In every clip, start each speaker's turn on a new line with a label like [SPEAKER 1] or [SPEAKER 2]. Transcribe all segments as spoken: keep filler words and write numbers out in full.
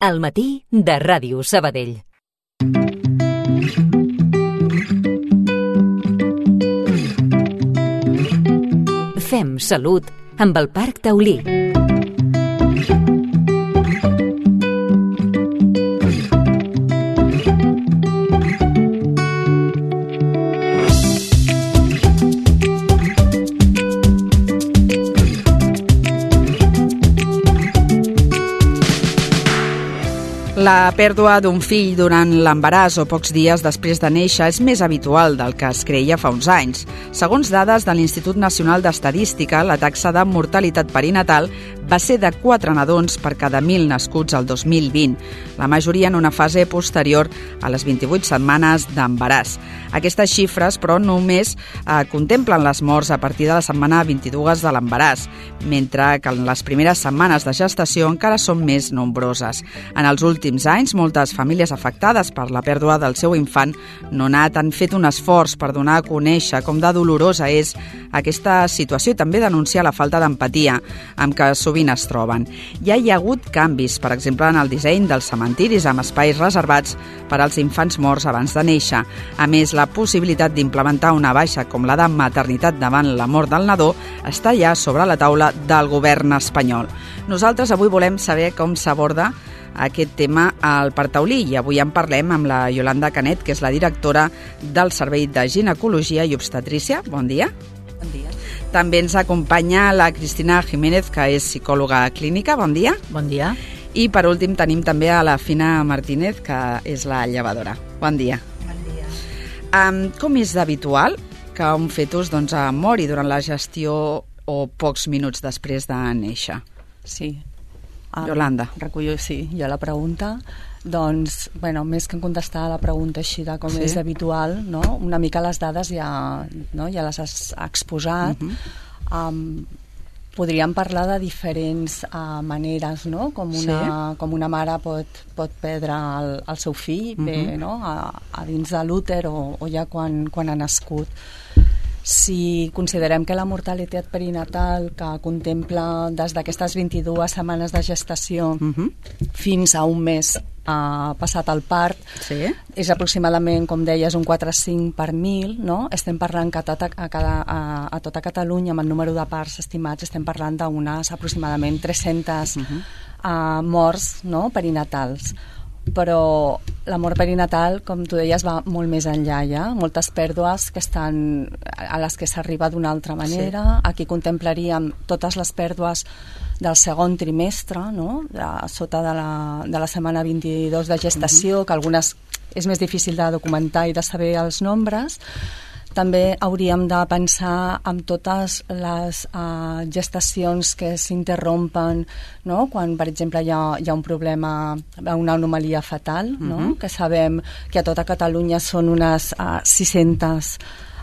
[SPEAKER 1] Al matí de Ràdio Sabadell. Fem salut amb el Parc Taulí.
[SPEAKER 2] La pèrdua d'un fill durant l'embaràs o pocs dies després de néixer és més habitual del que es creia fa uns anys. Segons dades de l'Institut Nacional d'Estadística, la taxa de mortalitat perinatal va ser de quatre nadons per cada mil nascuts el dos mil vint, la majoria en una fase posterior a les vint-i-vuit setmanes d'embaràs. Aquestes xifres, però, només eh, contemplen les morts a partir de la setmana vint-i-dues de l'embaràs, mentre que en les primeres setmanes de gestació encara són més nombroses. En els últims anys, moltes famílies afectades per la pèrdua del seu infant nonat han fet un esforç per donar a conèixer com de dolorosa és aquesta situació i també denunciar la falta d'empatia amb què sovint es troben. Ja hi ha hagut canvis, per exemple, en el disseny dels cementiris amb espais reservats per als infants morts abans de néixer. A més, la possibilitat d'implementar una baixa com la de maternitat davant la mort del nadó està ja sobre la taula del govern espanyol. Nosaltres avui volem saber com s'aborda aquest tema al Parc Taulí i avui en parlem amb la Yolanda Canet, que és la directora del Servei de Ginecologia i Obstetrícia. Bon dia.
[SPEAKER 3] Bon dia.
[SPEAKER 2] També ens acompanya la Cristina Jiménez, que és psicòloga clínica. Bon dia.
[SPEAKER 3] Bon dia.
[SPEAKER 2] I per últim tenim també a la Fina Martínez, que és la llevadora. Bon dia.
[SPEAKER 3] Bon dia.
[SPEAKER 2] Um, com és d'habitual que un fetus doncs, mori durant la gestió o pocs minuts després de néixer?
[SPEAKER 3] Sí. Um,
[SPEAKER 2] Yolanda.
[SPEAKER 3] Recullo, sí, jo la pregunta. Doncs, bueno, més que contestar a la pregunta així de com
[SPEAKER 2] sí.
[SPEAKER 3] és habitual, no? Una mica les dades ja, no? ja les has exposat. Uh-huh. um, podríem parlar de diferents uh, maneres, no? Com una, sí. com una mare pot, pot perdre el, el seu fill uh-huh. bé, no? a, a dins de l'úter o, o ja quan, quan ha nascut. Si considerem que la mortalitat perinatal, que contempla des d'aquestes vint-i-dues setmanes de gestació uh-huh. fins a un mes uh, passat el part,
[SPEAKER 2] sí.
[SPEAKER 3] és aproximadament, com deies, un quatre coma cinc per mil, no? Estem parlant que a tota, a, cada, a, a tota Catalunya, amb el número de parts estimats, estem parlant d'unes aproximadament tres-centes uh-huh. uh, morts, no? perinatals. Però la mort perinatal, com tu deies, va molt més enllà ja. Moltes pèrdues que estan, a les que s'arriba d'una altra manera. Sí. Aquí contemplaríem totes les pèrdues del segon trimestre, no? de, sota de la, de la setmana vint-i-dos de gestació, uh-huh. que algunes és més difícil de documentar i de saber els nombres. També hauríem de pensar en totes les uh, gestacions que s'interrompen, no? Quan, per exemple, hi ha, hi ha un problema, una anomalia fetal, uh-huh. no? que sabem que a tota Catalunya són unes uh, sis-centes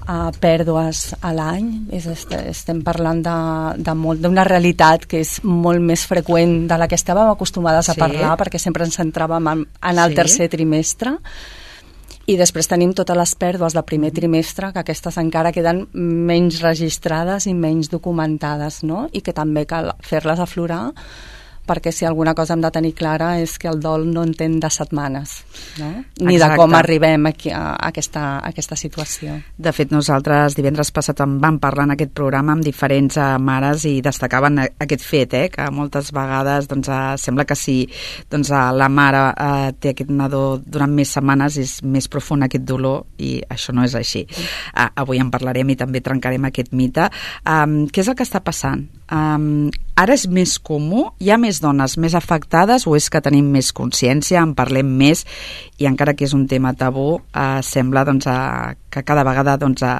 [SPEAKER 3] uh, pèrdues a l'any. És, estem parlant de, de molt, d'una realitat que és molt més freqüent de la que estàvem acostumades a sí. parlar, perquè sempre ens centràvem en, en el sí. tercer trimestre. I després tenim totes les pèrdues del primer trimestre, que aquestes encara queden menys registrades i menys documentades, no? I que també cal fer-les aflorar, perquè si alguna cosa hem de tenir clara és que el dol no entén de setmanes, no? Ni Exacte. De com arribem aquí a, a, aquesta, a aquesta situació.
[SPEAKER 2] De fet, nosaltres divendres passat en vam parlar en aquest programa amb diferents uh, mares i destacaven aquest fet, eh, que moltes vegades doncs, uh, sembla que si doncs, uh, la mare uh, té aquest nadó durant més setmanes és més profund aquest dolor i això no és així. Uh, avui en parlarem i també trencarem aquest mite. Um, què és el que està passant? Um, ara és més comú? Hi ha més dones més afectades o és que tenim més consciència, en parlem més i encara que és un tema tabú eh, sembla doncs, eh, que cada vegada doncs, eh,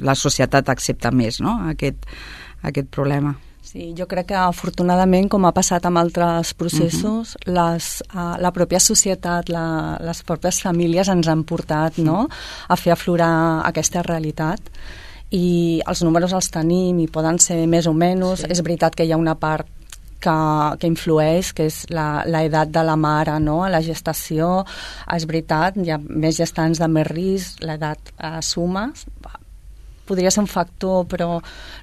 [SPEAKER 2] la societat accepta més, no? aquest, aquest problema.
[SPEAKER 3] Sí, jo crec que afortunadament, com ha passat amb altres processos, uh-huh. les, uh, la pròpia societat, la, les pròpies famílies ens han portat uh-huh. no? a fer aflorar aquesta realitat. I els números els tenim i poden ser més o menys. Sí. És veritat que hi ha una part que, que influeix, que és l'edat de la mare, no? A la gestació. És veritat, hi ha més gestants de més risc, l'edat eh, suma. Podria ser un factor, però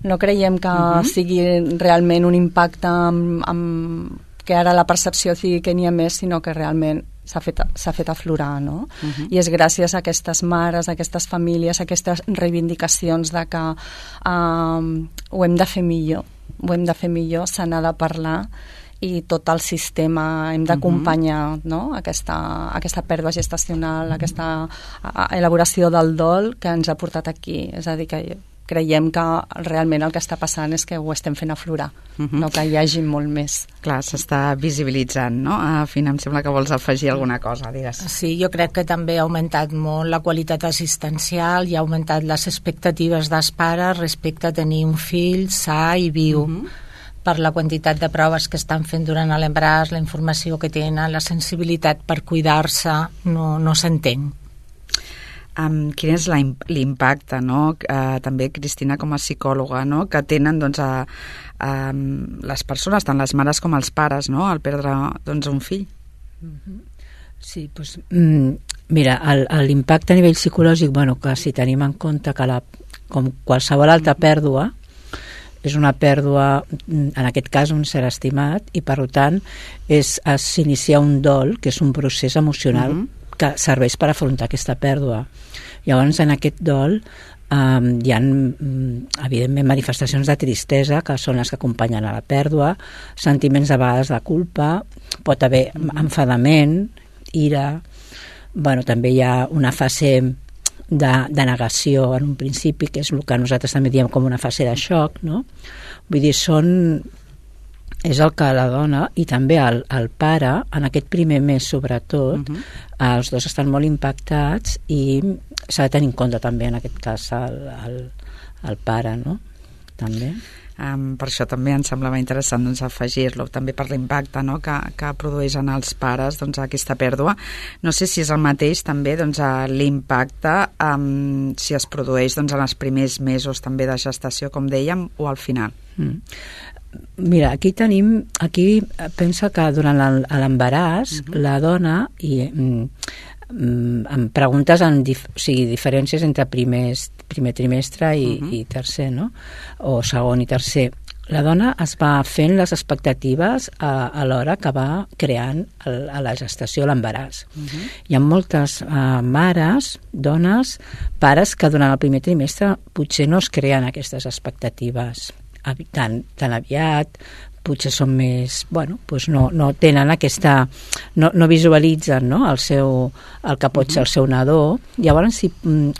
[SPEAKER 3] no creiem que uh-huh. sigui realment un impacte amb, amb que ara la percepció sigui que n'hi ha més, sinó que realment s'ha fet, s'ha fet aflorar, no? Uh-huh. I és gràcies a aquestes mares, a aquestes famílies, a aquestes reivindicacions de que um, ho hem de fer millor, ho hem de fer millor, se n'ha de parlar, i tot el sistema hem d'acompanyar, uh-huh, no? aquesta, aquesta pèrdua gestacional, aquesta elaboració del dol que ens ha portat aquí. És a dir, que creiem que realment el que està passant és que ho estem fent aflorar, uh-huh, no que hi hagi molt més.
[SPEAKER 2] Clar, s'està visibilitzant, no? Ah, Fina, em sembla que vols afegir alguna cosa, digues.
[SPEAKER 4] Sí, jo crec que també ha augmentat molt la qualitat assistencial i ha augmentat les expectatives dels pares respecte a tenir un fill sa i viu. Uh-huh. Per la quantitat de proves que estan fent durant l'embaràs, la informació que tenen, la sensibilitat per cuidar-se, no, no s'entén.
[SPEAKER 2] Um, quin és l'impacte, no? Uh, també, Cristina, com a psicòloga, no? Que tenen, doncs, a, a les persones, tant les mares com els pares, no? Al perdre, doncs, un fill.
[SPEAKER 5] Sí, doncs, mm, mira, l'impacte a nivell psicològic, bueno, que si tenim en compte que la, com qualsevol altra pèrdua, és una pèrdua, en aquest cas un ser estimat, i per tant és s'inicia un dol, que és un procés emocional, uh-huh, que serveix per afrontar aquesta pèrdua. Llavors, en aquest dol um, hi ha, evidentment, manifestacions de tristesa, que són les que acompanyen a la pèrdua, sentiments a vegades de culpa, pot haver enfadament, ira, bueno, també hi ha una fase De, de negació en un principi, que és el que nosaltres també diem com una fase de xoc, no? Vull dir, són és el que la dona i també el, el pare, en aquest primer mes sobretot, uh-huh, els dos estan molt impactats i s'ha de tenir en compte també en aquest cas el, el, el pare, no? També.
[SPEAKER 2] Um, per això també em semblava interessant, doncs, afegir-lo, també per l'impacte, no? que, que produeix en els pares, doncs, aquesta pèrdua. No sé si és el mateix també, doncs, l'impacte um, si es produeix, doncs, en els primers mesos també de gestació, com dèiem, o al final.
[SPEAKER 5] Mm. Mira, aquí tenim, aquí pensa que durant l'embaràs, uh-huh, la dona, i mm, em preguntes en dif, o sigui, diferències entre primers, primer trimestre i, uh-huh, i tercer, no? O segon i tercer. La dona es va fent les expectatives a, a l'hora que va creant el, a la gestació l'embaràs. Uh-huh. Hi ha moltes uh, mares, dones, pares que durant el primer trimestre potser no es creen aquestes expectatives tan, tan aviat, potser són més, bueno, doncs no, no tenen aquesta, no, no visualitzen, no? El seu, el que pot ser el seu nadó. Llavors, sí,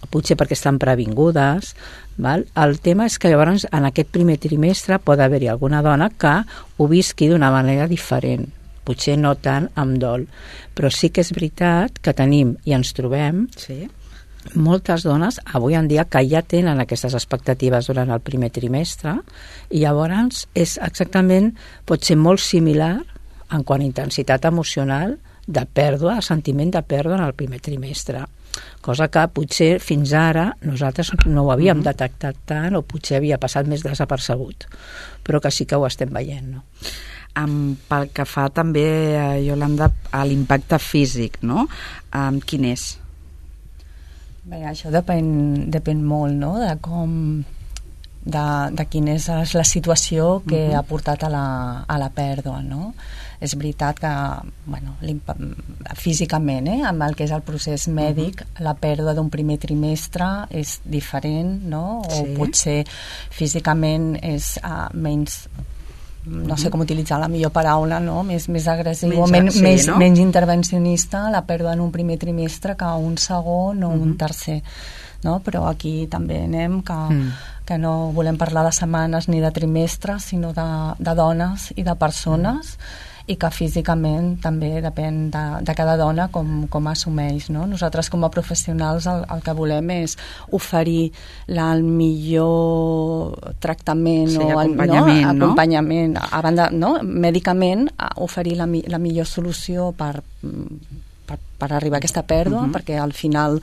[SPEAKER 5] potser perquè estan previngudes, val? El tema és que llavors en aquest primer trimestre pot haver-hi alguna dona que ho visqui d'una manera diferent, potser no tant amb dol, però sí que és veritat que tenim i ens trobem, sí, moltes dones avui en dia que ja tenen aquestes expectatives durant el primer trimestre i llavors és exactament, pot ser molt similar en quant a intensitat emocional de pèrdua, sentiment de pèrdua en el primer trimestre, cosa que potser fins ara nosaltres no ho havíem mm-hmm. detectat tant o potser havia passat més desapercebut, però que sí que ho estem veient, no?
[SPEAKER 2] Um, pel que fa també, uh, Iolanda, a l'impacte físic, no? Um, quin és?
[SPEAKER 3] Bé, això depèn, depèn molt, no?, de com, de, de quina és la situació que uh-huh. ha portat a la, a la pèrdua, no? És veritat que, bueno, físicament, eh, amb el que és el procés mèdic, uh-huh. la pèrdua d'un primer trimestre és diferent, no? O sí. potser físicament és uh, menys, no sé com utilitzar la millor paraula, no? Més, més agressiu, menys, men, sí, més, no? menys intervencionista, la pèrdua en un primer trimestre que un segon o uh-huh. un tercer, no? Però aquí també anem que, mm. que no volem parlar de setmanes ni de trimestres, sinó de, de dones i de persones, mm. i que físicament també depèn de, de cada dona com, com assumeix, no? Nosaltres com a professionals el, el que volem és oferir la, el millor tractament,
[SPEAKER 2] sí,
[SPEAKER 3] o el,
[SPEAKER 2] acompanyament,
[SPEAKER 3] no?
[SPEAKER 2] no?
[SPEAKER 3] acompanyament a banda, no? Mèdicament, oferir la, la millor solució per, per, per arribar a aquesta pèrdua, uh-huh. perquè al final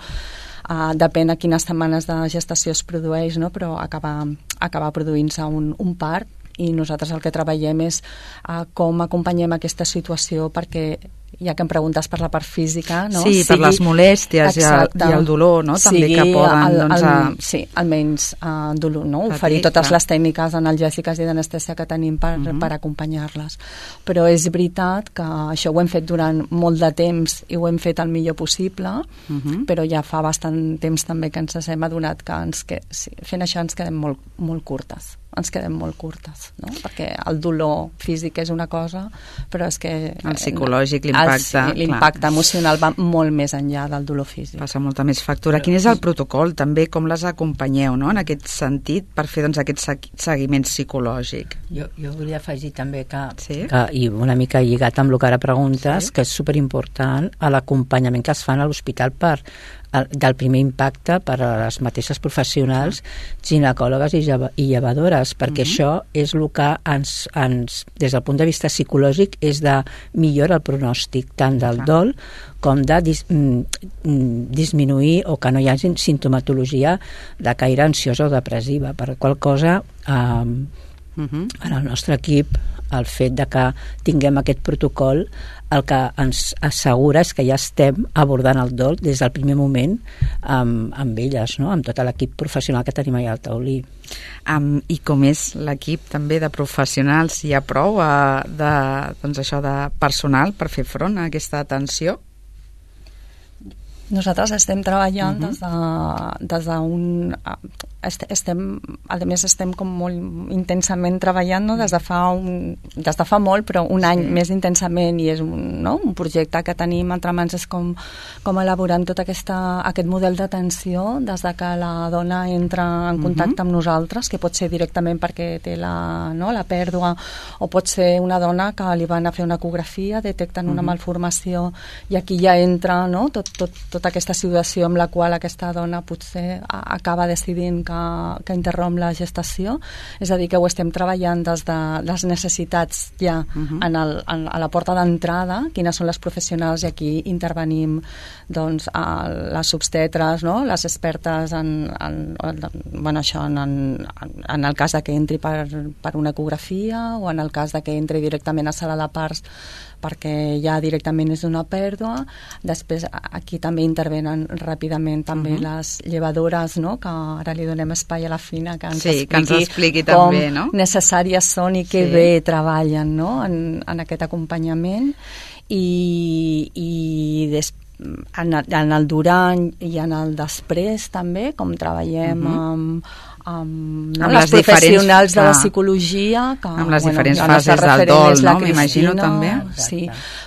[SPEAKER 3] Uh, depèn a quines setmanes de gestació es produeix, no? Però acaba, acaba produint-se un, un part, i nosaltres el que treballem és uh, com acompanyem aquesta situació perquè ja que em preguntes per la part física, no?
[SPEAKER 2] Sí, sigui, per les molèsties i el, i el dolor, no? També que poden... El, el, doncs, a...
[SPEAKER 3] Sí, almenys uh, dolor, no? Patir, oferir totes clar. Les tècniques analgèsiques i d'anestèsia que tenim per, uh -huh. per acompanyar-les. Però és veritat que això ho hem fet durant molt de temps i ho hem fet el millor possible, uh -huh. però ja fa bastant temps també que ens hem adonat que, ens que sí, fent això ens quedem molt, molt curtes. ens quedem molt curtes, no? Perquè el dolor físic és una cosa, però és que...
[SPEAKER 2] El psicològic, l'impacte...
[SPEAKER 3] Sí, l'impacte emocional va molt més enllà del dolor físic.
[SPEAKER 2] Passa molta més factura. Quin és el protocol, també, com les acompanyeu, no?, en aquest sentit, per fer, doncs, aquest seguiment psicològic?
[SPEAKER 5] Jo, jo volia afegir també que,
[SPEAKER 2] sí?
[SPEAKER 5] que, i una mica lligat amb el que ara preguntes, sí? que és superimportant l'acompanyament que es fan a l'hospital per del primer impacte per a les mateixes professionals, ginecòlogues i, lleva, i llevadores, perquè uh-huh. això és el que ens, ens, des del punt de vista psicològic, és de millora el pronòstic, tant del dol com de dis, mm, disminuir o que no hi hagi sintomatologia de caire ansiosa o depressiva. Per qual cosa, eh, uh-huh. en el nostre equip, el fet de que tinguem aquest protocol el que ens assegura és que ja estem abordant el dol des del primer moment amb, amb elles, no? Amb tot l'equip professional que tenim allà al taulí.
[SPEAKER 2] Um, I com és l'equip també de professionals? Hi ha prou uh, de, doncs això, de personal per fer front a aquesta atenció?
[SPEAKER 3] Nosaltres estem treballant uh-huh. des de, des d'un... Estem, a més, estem com molt intensament treballant, no? des, de fa un, des de fa molt, però un sí. any més intensament, i és un, no? un projecte que tenim entre mans, és com, com elaborant tot aquesta, aquest model d'atenció des de que la dona entra en contacte uh-huh. amb nosaltres, que pot ser directament perquè té la, no? la pèrdua, o pot ser una dona que li van a fer una ecografia, detecten uh-huh. una malformació, i aquí ja entra, no? tot, tot, tota aquesta situació amb la qual aquesta dona potser acaba decidint que, que interromp la gestació. És a dir, que ho estem treballant des de les necessitats ja uh-huh. en el, en, a la porta d'entrada, quines són les professionals, i aquí intervenim doncs, a les obstetres, no? Les expertes en, en, en, bueno, això, en, en, en el cas de que entri per, per una ecografia, o en el cas de que entri directament a sala de parts perquè ja directament és una pèrdua. Després aquí també intervenen ràpidament també uh-huh. les llevadores, no? Que ara li donem espai a la Fina que ens
[SPEAKER 2] sí,
[SPEAKER 3] expliqui,
[SPEAKER 2] que ens expliqui
[SPEAKER 3] com
[SPEAKER 2] també, no?
[SPEAKER 3] necessàries són i que sí. bé treballen, no? en, en aquest acompanyament, i, i després en, en el durant i en el després també, com treballem uh-huh. amb amb, no? amb les, les professionals de la psicologia, que,
[SPEAKER 2] amb les
[SPEAKER 3] bueno,
[SPEAKER 2] diferents fases del dol, no? M'imagino també.
[SPEAKER 3] Sí,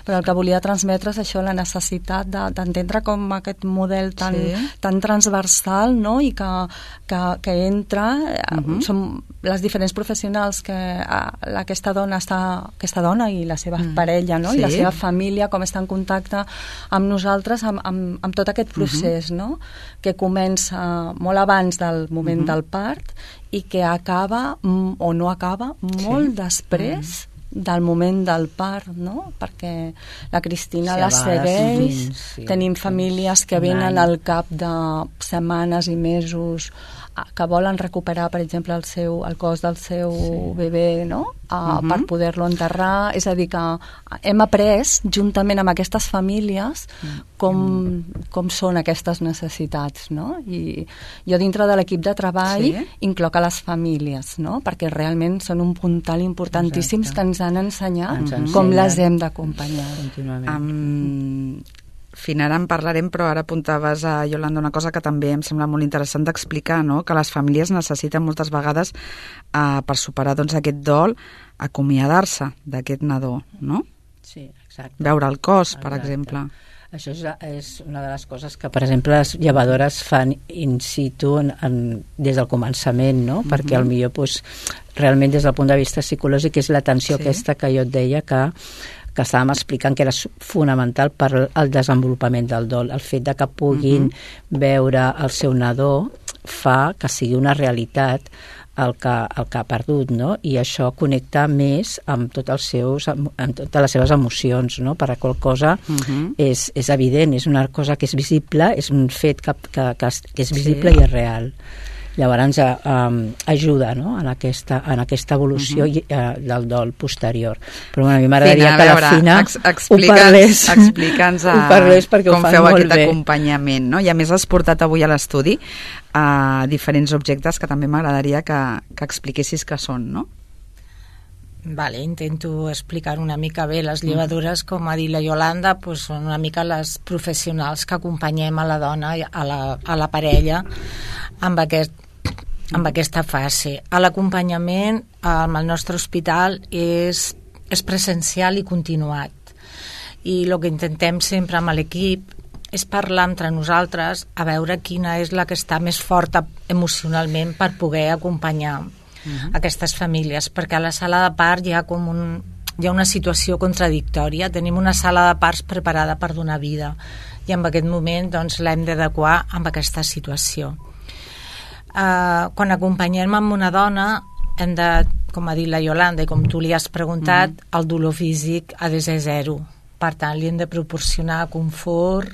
[SPEAKER 3] però el que volia transmetre és això, la necessitat d'entendre de, com aquest model tan, sí. tan transversal, no? I que, que, que entra, uh-huh. som les diferents professionals que uh, aquesta dona està, aquesta dona i la seva uh-huh. parella, no? Sí. I la seva família, com està en contacte amb nosaltres, amb, amb, amb tot aquest procés, uh-huh. no? Que comença molt abans del moment uh-huh. del part, i que acaba o no acaba molt sí. després mm. del moment del part, no? Perquè la Cristina sí, la segueix, sí, tenim famílies que venen al cap de setmanes i mesos que volen recuperar, per exemple, el, seu, el cos del seu sí. bebè, no? Uh, uh-huh. per poder-lo enterrar. És a dir, que hem après, juntament amb aquestes famílies, com, uh-huh. com són aquestes necessitats, no? I jo dintre de l'equip de treball sí. incloc a les famílies, no? Perquè realment són un puntal importantíssims. Exacte. Que ens han ensenyat ens uh-huh. com les hem d'acompanyar.
[SPEAKER 2] Um, Fina, ara en parlarem, però ara apuntaves a Iolanda una cosa que també em sembla molt interessant d'explicar, no? Que les famílies necessiten moltes vegades eh, per superar doncs, aquest dol, acomiadar-se d'aquest nadó, no?
[SPEAKER 5] Sí, exacte.
[SPEAKER 2] Veure el cos, exacte. Per exemple.
[SPEAKER 5] Això és, és una de les coses que, per exemple, les llevadores fan in situ en, en, des del començament, no? Uh-huh. Perquè potser pues, realment des del punt de vista psicològic és l'atenció sí. aquesta que jo et deia que que estàvem explicant que era fonamental per al desenvolupament del dol. El fet de que puguin uh-huh. veure el seu nadó fa que sigui una realitat el que, el que ha perdut, no? I això connecta més amb, tot els seus, amb totes les seves emocions, no? Per a qual cosa uh-huh. és, és evident, és una cosa que és visible, és un fet que, que, que és visible sí. i és real. Llavors eh, eh, ajuda, no?, en aquesta, en aquesta evolució uh-huh. eh, del dol posterior. Però bueno, a mi m'agradaria que la Fina
[SPEAKER 2] ex
[SPEAKER 5] ho parlés,
[SPEAKER 2] explica'ns
[SPEAKER 5] ho parlés perquè
[SPEAKER 2] com
[SPEAKER 5] ho fan
[SPEAKER 2] feu
[SPEAKER 5] molt
[SPEAKER 2] aquest
[SPEAKER 5] bé.
[SPEAKER 2] acompanyament, no? I a més has portat avui a l'estudi uh, diferents objectes que també m'agradaria que, que expliquessis què són, no?
[SPEAKER 4] Vale, intento explicar una mica bé. Les llevadores, com ha dit la Yolanda, pues són una mica les professionals que acompanyem a la dona, a la, a la parella, amb, aquest, amb aquesta fase. L'acompanyament amb el nostre hospital és, és presencial i continuat. I el que intentem sempre amb l'equip és parlar entre nosaltres a veure quina és la que està més forta emocionalment per poder acompanyar Uh-huh. aquestes famílies, perquè a la sala de part hi ha com un, hi ha una situació contradictòria. Tenim una sala de parts preparada per donar vida i en aquest moment doncs, l'hem d'adequar amb aquesta situació. Uh, quan acompanyem amb una dona hem de, com ha dit la Yolanda i com tu li has preguntat, uh-huh. el dolor físic ha de ser zero. Per tant, li hem de proporcionar confort,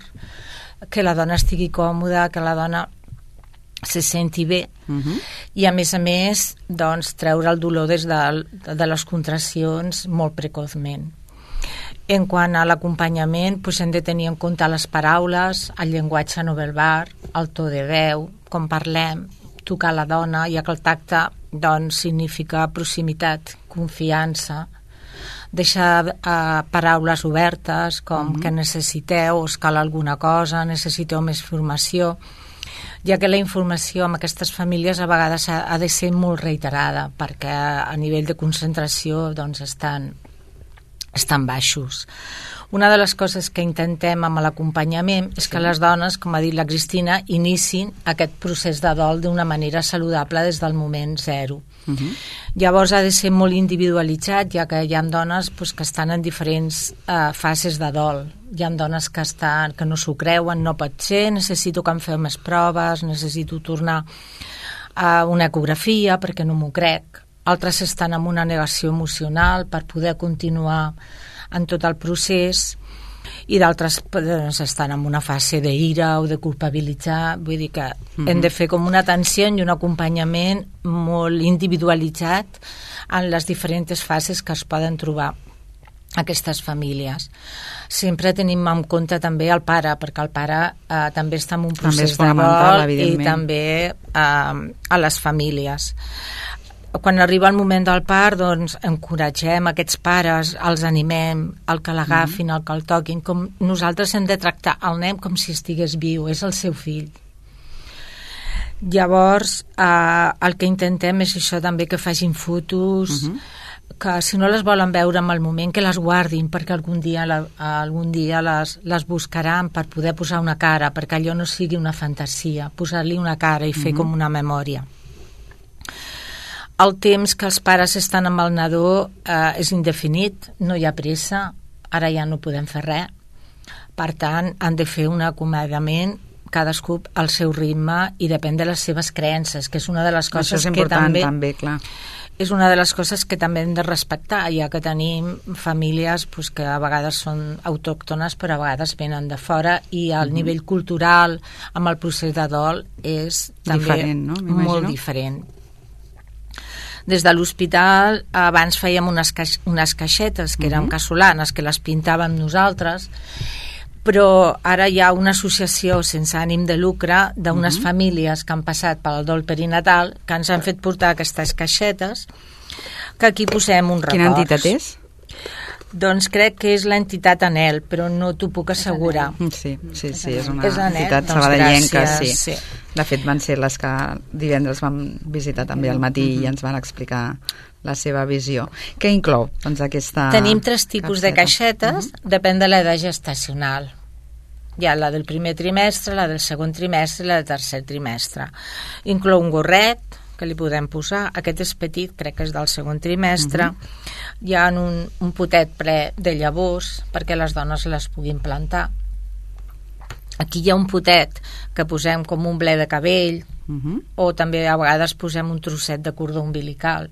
[SPEAKER 4] que la dona estigui còmoda, que la dona se senti bé uh-huh. i a més a més doncs, treure el dolor des de, de les contraccions molt precoçment. En quant a l'acompanyament, doncs hem de tenir en compte les paraules, el llenguatge no verbal, el to de veu, com parlem, tocar la dona, ja que el tacte doncs, significa proximitat, confiança, deixar eh, paraules obertes com uh-huh. que necessiteu, us cal alguna cosa, necessiteu més formació, ja que la informació amb aquestes famílies a vegades ha, ha de ser molt reiterada perquè a nivell de concentració doncs estan, estan baixos. Una de les coses que intentem amb l'acompanyament és que les dones, com ha dit la Cristina, inicin aquest procés de dol d'una manera saludable des del moment zero. Uh-huh. Llavors ha de ser molt individualitzat, ja que hi ha dones pues, que estan en diferents uh, fases de dol. Hi ha dones que, estan, que no s'ho creuen, no pot ser, necessito que em feu més proves, necessito tornar a una ecografia perquè no m'ho crec. Altres estan en una negació emocional per poder continuar en tot el procés i d'altres doncs, estan en una fase d'ira o de culpabilitzar. Vull dir que mm-hmm. hem de fer com una atenció i un acompanyament molt individualitzat en les diferents fases que es poden trobar aquestes famílies. Sempre tenim en compte també el pare, perquè el pare eh, també està en un procés de dol i també eh, a les famílies. Quan arriba el moment del part, doncs encoratgem aquests pares, els animem, el que l'agafin, el que el toquin, com nosaltres hem de tractar el nen com si estigués viu, és el seu fill. Llavors, eh, el que intentem és això també, que facin fotos, uh-huh. que si no les volen veure en el moment, que les guardin, perquè algun dia, la, algun dia les, les buscaran per poder posar una cara, perquè allò no sigui una fantasia, posar-li una cara i fer uh-huh. com una memòria. El temps que els pares estan amb el nadó eh, és indefinit, no hi ha pressa, ara ja no podem fer res. Per tant, han de fer un acomiadament cadascú al seu ritme i depèn de les seves creences, que és una de les coses que també,
[SPEAKER 2] també clar.
[SPEAKER 4] és una de les coses que també hem de respectar, ja que tenim famílies pues, que a vegades són autòctones però a vegades venen de fora i el mm-hmm. nivell cultural amb el procés de dol és també
[SPEAKER 2] diferent, no?
[SPEAKER 4] molt diferent. Des de l'hospital abans fèiem unes, caix, unes caixetes que eren uh-huh. casolanes, que les pintàvem nosaltres, però ara hi ha una associació sense ànim de lucre d'unes uh-huh. famílies que han passat pel dol perinatal que ens han fet portar aquestes caixetes, que aquí posem un records.
[SPEAKER 2] Quina entitat és?
[SPEAKER 4] Doncs crec que és l'entitat Anel, però no t'ho puc assegurar.
[SPEAKER 2] Sí, sí, sí, és una
[SPEAKER 4] és Anel,
[SPEAKER 2] entitat
[SPEAKER 4] doncs
[SPEAKER 2] sabadellenca,
[SPEAKER 4] gràcies,
[SPEAKER 2] sí.
[SPEAKER 4] sí.
[SPEAKER 2] De fet, van ser les que divendres vam visitar també al matí mm-hmm. i ens van explicar la seva visió. Què inclou, doncs, aquesta...
[SPEAKER 4] Tenim tres tipus
[SPEAKER 2] caixeta.
[SPEAKER 4] de caixetes, mm-hmm. depèn de l'edat gestacional. Hi ha la del primer trimestre, la del segon trimestre i la del tercer trimestre. Inclou un gorret, que li podem posar, aquest és petit, crec que és del segon trimestre, uh-huh. hi ha un, un potet ple de llavors perquè les dones les puguin plantar. Aquí hi ha un potet que posem com un ble de cabell, uh-huh. o també a vegades posem un trosset de cordó umbilical.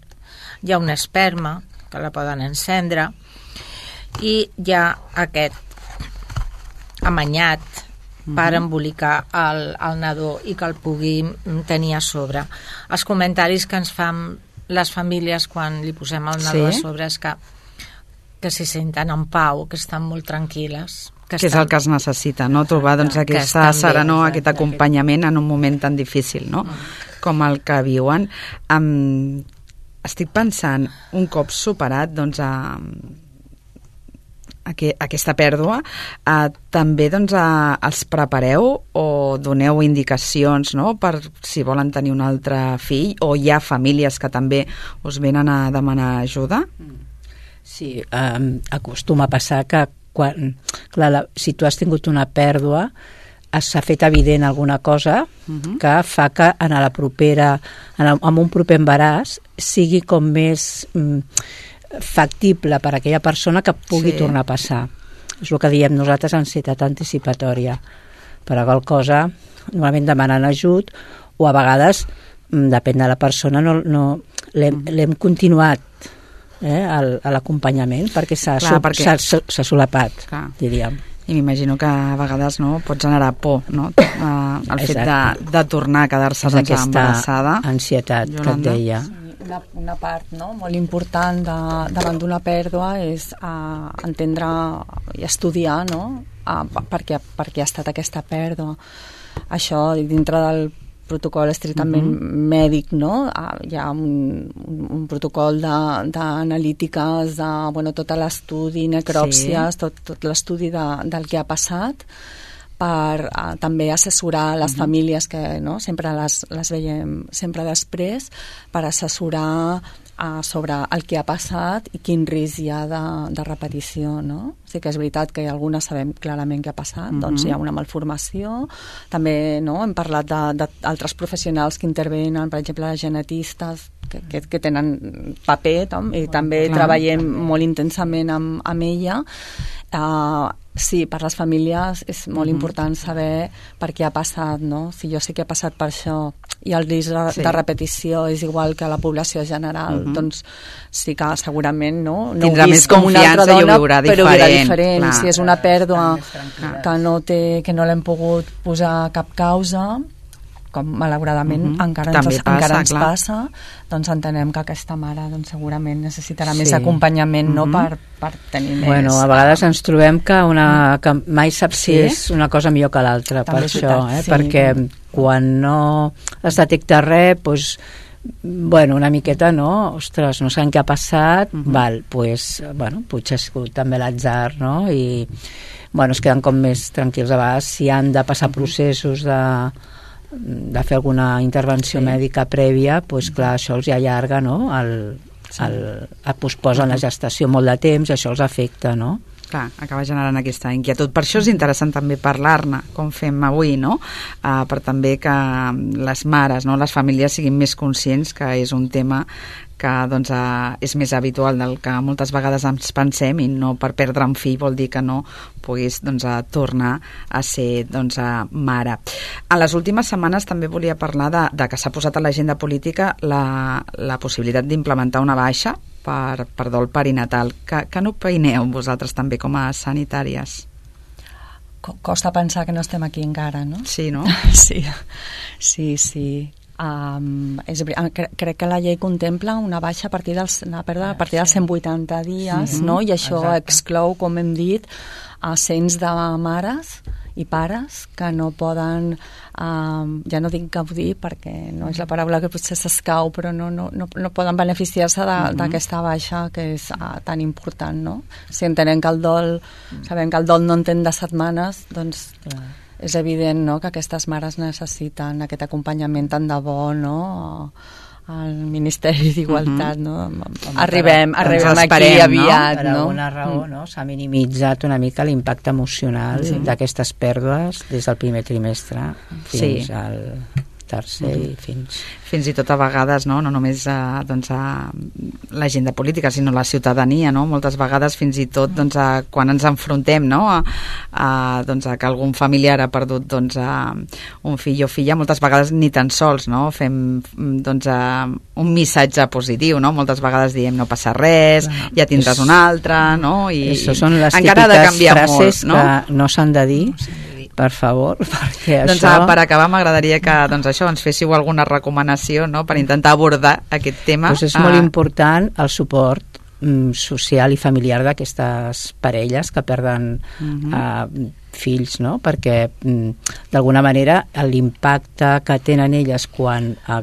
[SPEAKER 4] Hi ha una esperma, que la poden encendre, i hi ha aquest amanyat, per embolicar el, el nadó i que el pugui tenir a sobre. Els comentaris que ens fan les famílies quan li posem el nadó sí. a sobre és que, que s'hi senten en pau, que estan molt tranquil·les.
[SPEAKER 2] Que, que és el que es necessita, no? Trobar doncs, aquesta serenor, aquest acompanyament en un moment tan difícil, no? Com el que viuen. Um, estic pensant, un cop superat doncs, a, a que, aquesta pèrdua, uh, també doncs, a, els prepareu o doneu indicacions, no?, per si volen tenir un altre fill, o hi ha famílies que també us venen a demanar ajuda?
[SPEAKER 5] Sí, um, acostuma a passar que quan, clar, la, si tu has tingut una pèrdua, s'ha fet evident alguna cosa uh-huh. que fa que en la propera, en, el, en un proper embaràs sigui com més mm, factible per a aquella persona que pugui sí. tornar a passar. És el que diem nosaltres, ansietat anticipatòria. Per a qual cosa, normalment demanen ajut, o a vegades, mm, depèn de la persona, no, no, l'hem, uh-huh. l'hem continuat eh, al, a l'acompanyament perquè s'ha, Clar, so, perquè... s'ha, s'ha solapat, Clar. diríem.
[SPEAKER 2] I m'imagino que a vegades no, pot generar por, no? Uh, el fet de, de tornar a quedar-se doncs, embarassada.
[SPEAKER 5] Ansietat Yolanda. Que et deia.
[SPEAKER 3] Sí, una, una part no, molt important de, davant d'una pèrdua és uh, entendre i estudiar no? uh, per, què, per què ha estat aquesta pèrdua. Això dintre del protocol estrictament uh-huh. mèdic, no? Ah, hi ha un, un, un protocol d'analítiques, de, de, bueno, tot l'estudi, necròpsies, sí. tot, tot l'estudi de, del que ha passat, per uh, també assessorar les uh-huh. famílies que no? sempre les, les veiem sempre després, per assessorar uh, sobre el que ha passat i quin risc hi ha de, de repetició, no? Sí que és veritat que algunes sabem clarament què ha passat, uh-huh. doncs hi ha una malformació, també no? hem parlat d'altres professionals que intervenen, per exemple, les genetistes, que, que, que tenen paper, tom, i també Clar. treballem molt intensament amb, amb ella. Uh, sí, per les famílies és molt uh-huh. important saber per què ha passat, no? Si jo sé que ha passat per això i el risc de, sí. de repetició és igual que la població general, uh-huh. doncs sí que segurament no, no
[SPEAKER 2] tindrà més confiança dona, i ho viurà diferent.
[SPEAKER 3] Però ho viurà diferent. Si és una pèrdua que no, té, que no l'hem pogut posar cap causa, com malauradament uh-huh. encara, ens, passa, encara ens passa, doncs entenem que aquesta mare doncs, segurament necessitarà sí. més acompanyament uh-huh. no? per, per tenir més...
[SPEAKER 5] Bueno, a vegades ens trobem que, una, que mai saps si sí? és una cosa millor que l'altra, per això, eh? sí. perquè quan no es detecta res, doncs, bueno, una miqueta, no? Ostres, no sabem què ha passat, uh-huh. val, pues, bueno, potser ha sigut també l'atzar, no? I, bueno, es queden com més tranquils a vegades si han de passar uh-huh. processos de de fer alguna intervenció sí. mèdica prèvia, doncs clar, això els allarga, no? El, sí. el, el posposen la gestació molt de temps i això els afecta, no?
[SPEAKER 2] Clar, acaba generant aquesta inquietud. Per això és interessant també parlar-ne, com fem avui, no? Uh, per també que les mares, no? les famílies siguin més conscients que és un tema que doncs, uh, és més habitual del que moltes vegades ens pensem, i no per perdre un fill vol dir que no puguis doncs, uh, tornar a ser doncs, uh, mare. En les últimes setmanes també volia parlar de, de que s'ha posat a l'agenda política la, la possibilitat d'implementar una baixa per, per dol perinatal. Que, que n'opineu vosaltres també com a sanitàries?
[SPEAKER 3] Costa pensar que no estem aquí encara, no?
[SPEAKER 2] Sí, no?
[SPEAKER 3] Sí, sí, sí. Um, és, cre crec que la llei contempla una baixa a partir dels, una pèrdua a partir dels cent vuitanta dies, sí, no? I això exacte. exclou, com hem dit, a cents de mares i pares que no poden, um, ja no dic gaudir perquè no és la paraula que potser s'escau, però no, no, no, no poden beneficiar-se d'aquesta uh-huh. baixa que és uh, tan important, no? Si entenem que el dol, sabem que el dol no entén de setmanes, doncs clar. És evident, no?, que aquestes mares necessiten aquest acompanyament tant de bo, no?, al Ministeri d'Igualtat, uh-huh. no? Arribem, arribem aquí aviat,
[SPEAKER 5] no? Per alguna raó, no?, s'ha minimitzat una mica l'impacte emocional sí. d'aquestes pèrdues des del primer trimestre fins sí. al tercer uh-huh. i fins...
[SPEAKER 2] Fins i tot a vegades, no, no només a, doncs a l'agenda política, sinó la ciutadania, no? Moltes vegades fins i tot doncs, a, quan ens enfrontem, no? a, a, doncs, a que algun familiar ha perdut doncs, a un fill o filla, moltes vegades ni tan sols, no? Fem doncs, a, un missatge positiu, no? Moltes vegades diem no passa res, clar, ja tindràs és, un altre, no? I
[SPEAKER 5] això són les típiques frases molt, no? que no s'han de dir, per favor, perquè
[SPEAKER 2] doncs,
[SPEAKER 5] això...
[SPEAKER 2] Per acabar, m'agradaria que doncs, això ens féssiu alguna recomanació, no?, per intentar abordar aquest tema.
[SPEAKER 5] Doncs és molt important el suport mm, social i familiar d'aquestes parelles que perden uh-huh. eh, fills, no?, perquè mm, d'alguna manera l'impacte que tenen elles quan eh,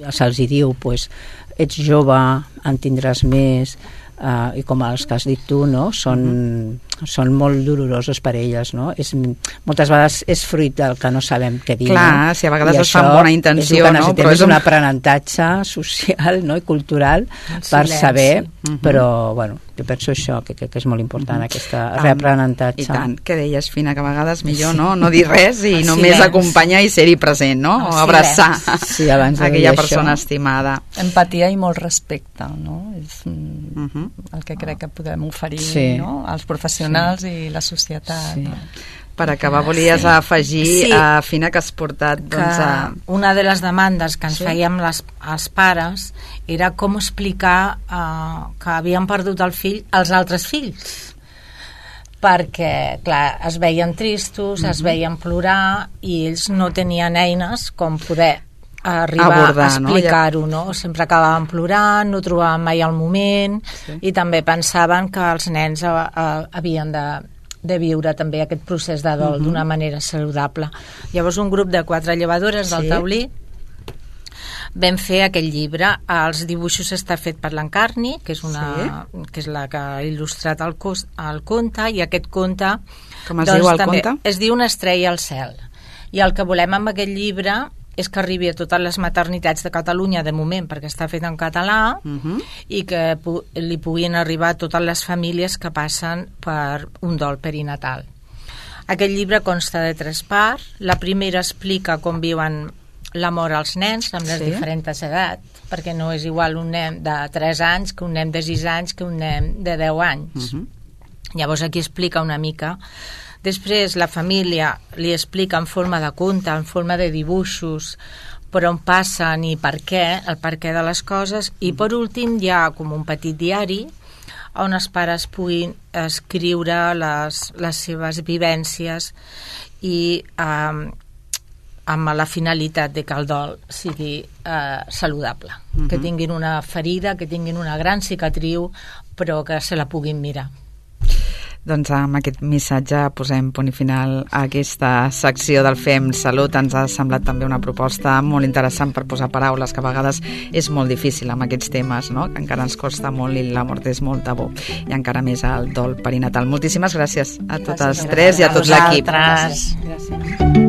[SPEAKER 5] se'ls hi diu pues, ets jove, en tindràs més, Uh, i com els que has dit tu, no? Són, mm-hmm. són molt dolorosos per elles, no? És, moltes vegades és fruit del que no sabem què dir.
[SPEAKER 2] Clar,
[SPEAKER 5] no?
[SPEAKER 2] si a vegades
[SPEAKER 5] I
[SPEAKER 2] es fa amb bona intenció,
[SPEAKER 5] és
[SPEAKER 2] no?
[SPEAKER 5] Però és un aprenentatge social, no?, i cultural per saber, mm-hmm. però, bueno, jo penso això, que, que, que és molt important, mm-hmm. aquest reaprenentatge.
[SPEAKER 2] I tant, que deies, Fina, que a vegades millor no, no dir res i
[SPEAKER 4] el
[SPEAKER 2] només
[SPEAKER 4] silenci.
[SPEAKER 2] Acompanyar i ser-hi present, no? O abraçar
[SPEAKER 5] sí, abans de
[SPEAKER 2] aquella
[SPEAKER 5] dir
[SPEAKER 2] persona
[SPEAKER 5] això.
[SPEAKER 2] estimada.
[SPEAKER 3] Empatia i molt respecte, no? És
[SPEAKER 2] uh-huh.
[SPEAKER 3] el que crec que podem oferir,
[SPEAKER 5] sí.
[SPEAKER 3] no?, als professionals sí. i la societat.
[SPEAKER 5] Sí.
[SPEAKER 3] No?
[SPEAKER 2] Per acabar, volies sí. afegir, sí. a Fina, que has portat... Doncs,
[SPEAKER 4] que
[SPEAKER 2] a...
[SPEAKER 4] una de les demandes que ens
[SPEAKER 2] sí.
[SPEAKER 4] fèiem les, els pares era com explicar eh, que havien perdut el fill als altres fills, perquè, clar, es veien tristos, mm-hmm. es veien plorar i ells no tenien eines com poder arribar abordar, a explicar-ho, no? Ja... no? Sempre acabaven plorant, no trobaven mai el moment sí. i també pensaven que els nens a, a, havien de, de viure també aquest procés de dol uh-huh. d'una manera saludable. Llavors un grup de quatre llevadores del sí. Taulí vam fer aquell llibre. Els dibuixos està fet per l'Encarni, que és una sí. que és la que ha il·lustrat el, cos, el conte, i aquest conte
[SPEAKER 2] com es
[SPEAKER 4] doncs,
[SPEAKER 2] diu el
[SPEAKER 4] també,
[SPEAKER 2] conte?
[SPEAKER 4] Es diu Una estrella al cel. I el que volem amb aquest llibre és que arribi a totes les maternitats de Catalunya de moment, perquè està fet en català, uh-huh. i que pu- li puguin arribar a totes les famílies que passen per un dol perinatal. Aquest llibre consta de tres parts. La primera explica com viuen la mort als nens amb les sí. diferents edats, perquè no és igual un nen de tres anys que un nen de sis anys que un nen de deu anys. Uh-huh. Llavors aquí explica una mica. Després la família li explica en forma de conte, en forma de dibuixos, per on passen i per què, el per què de les coses, i per últim hi ha com un petit diari on els pares puguin escriure les, les seves vivències i eh, amb la finalitat de que el dol sigui eh, saludable, uh-huh. que tinguin una ferida, que tinguin una gran cicatriu, però que se la puguin mirar.
[SPEAKER 2] Doncs amb aquest missatge posem punt i final a aquesta secció del Fem Salut. Ens ha semblat també una proposta molt interessant per posar paraules, que a vegades és molt difícil amb aquests temes, no?, que encara ens costa molt i la mort és molt tabú, i encara més el dol perinatal. Moltíssimes gràcies a totes gràcies, tres i a tot l'equip.
[SPEAKER 4] Gràcies. Gràcies.